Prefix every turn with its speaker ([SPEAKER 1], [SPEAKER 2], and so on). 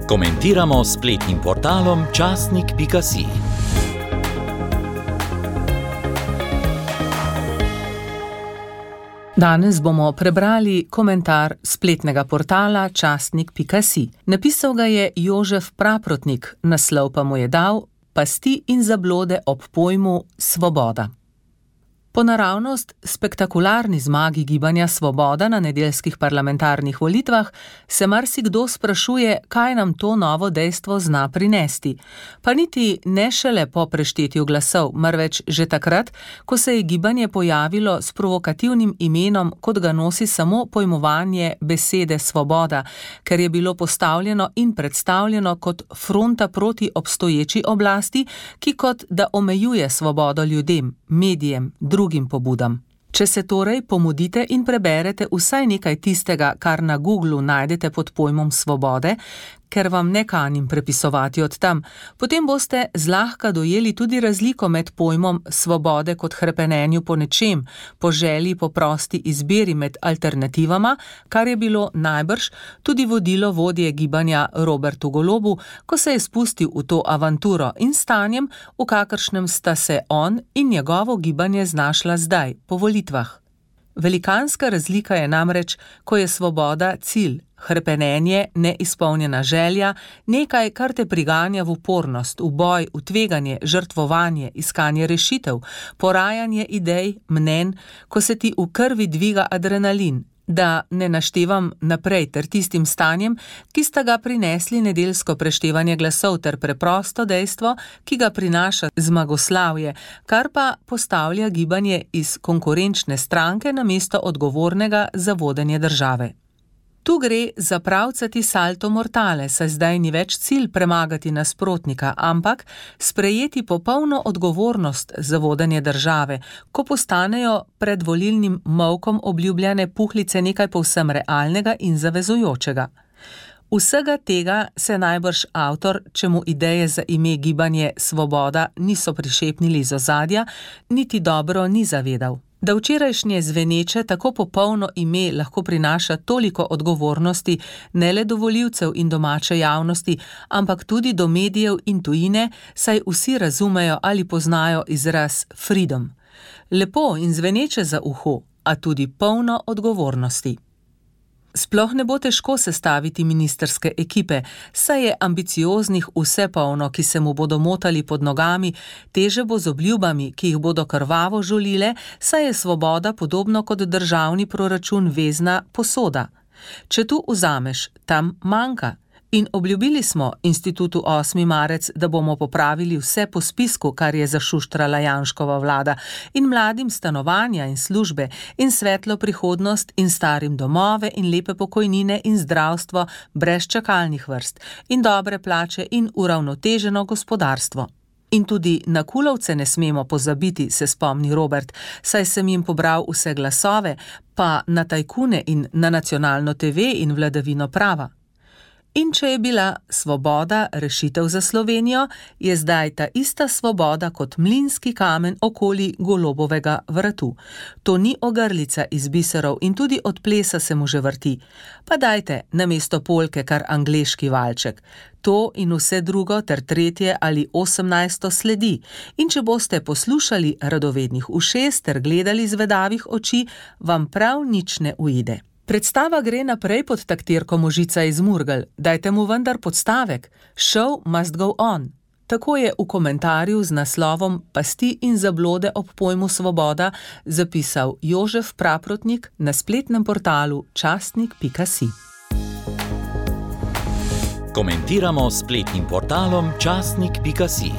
[SPEAKER 1] Komentiramo s spletnim portalom časnik.si.
[SPEAKER 2] Danes bomo prebrali komentar spletnega portala časnik.si. Napisal ga je Jožef Praprotnik, naslov pa mu je dal Pasti in zablode ob pojmu svoboda. Po naravnost spektakularni zmagi gibanja Svoboda na nedeljskih parlamentarnih volitvah se marsikdo sprašuje, kaj nam to novo dejstvo zna prinesti. Pa niti ne šele po preštetju glasov, marveč že takrat, ko se je gibanje pojavilo s provokativnim imenom, kot ga nosi samo pojmovanje besede svoboda, ker je bilo postavljeno in predstavljeno kot fronta proti obstoječi oblasti, ki kot da omejuje svobodo ljudem, medijem, drugim pobudam. Če se torej pomudite in preberete vsaj nekaj tistega, kar na Googlu najdete pod pojmom svobode, ker vam ne kanim prepisovati od tam, potem boste zlahka dojeli tudi razliko med pojmom svobode kot hrepenenju po nečem, po želji po prosti izbiri med alternativama, kar je bilo najbrž tudi vodilo vodje gibanja Robertu Golobu, ko se je spustil v to avanturo, in stanjem, v kakršnem sta se on in njegovo gibanje znašla zdaj, po volitvah. Velikanska razlika je namreč, ko je svoboda cilj, hrepenenje, neizpolnjena želja, nekaj, kar te priganja v upornost, v boj, v tveganje, žrtvovanje, iskanje rešitev, porajanje idej, mnenj, ko se ti v krvi dviga adrenalin, da ne naštevam naprej ter tistim stanjem, ki sta ga prinesli nedeljsko preštevanje glasov ter preprosto dejstvo, ki ga prinaša zmagoslavje, kar pa postavlja gibanje iz konkurenčne stranke namesto odgovornega za vodenje države. Tu gre za pravcati salto mortale, saj zdaj ni več cilj premagati nasprotnika, ampak sprejeti popolno odgovornost za vodenje države, ko postanejo pred volilnim molkom obljubljene puhlice nekaj povsem realnega in zavezujočega. Vsega tega se najbrž avtor, čemu ideje za ime gibanje Svoboda niso prišepnili iz ozadja, niti dobro ni zavedal. Da včerajšnje zveneče tako popolno ime lahko prinaša toliko odgovornosti ne le do volivcev in domače javnosti, ampak tudi do medijev in tujine, saj vsi razumejo ali poznajo izraz freedom. Lepo in zveneče za uho, a tudi polno odgovornosti. Sploh ne bo težko sestaviti ministrske ekipe, saj je ambicioznih vse polno, ki se mu bodo motali pod nogami, teže bo z obljubami, ki jih bodo krvavo žulile, saj je svoboda podobno kot državni proračun vezna posoda. Če tu vzameš, tam manjka. In obljubili smo Institutu 8. marec, da bomo popravili vse po spisku, kar je zašuštrala Janškova vlada, in mladim stanovanja in službe, in svetlo prihodnost, in starim domove, in lepe pokojnine, in zdravstvo brez čakalnih vrst, in dobre plače, in uravnoteženo gospodarstvo. In tudi na Kulovce ne smemo pozabiti, se spomni Robert, saj sem jim pobral vse glasove, pa na tajkune in na nacionalno TV in vladavino prava. In če je bila svoboda rešitev za Slovenijo, je zdaj ta ista svoboda kot mlinski kamen okoli Golobovega vratu. To ni ogrlica iz biserov in tudi od plesa se mu že vrti. Pa dajte namesto polke kar angleški valček. To in vse drugo ter tretje ali 18. sledi. In če boste poslušali radovednih ušes ter gledali zvedavih oči, vam prav nič ne uide. Predstava gre naprej pod taktirko Možica iz Murgel, dajte mu vendar podstavek, show must go on. Tako je v komentarju z naslovom Pasti in zablode ob pojmu svoboda zapisal Jožef Praprotnik na spletnem portalu časnik.si.
[SPEAKER 1] Komentiramo s spletnim portalom časnik.si.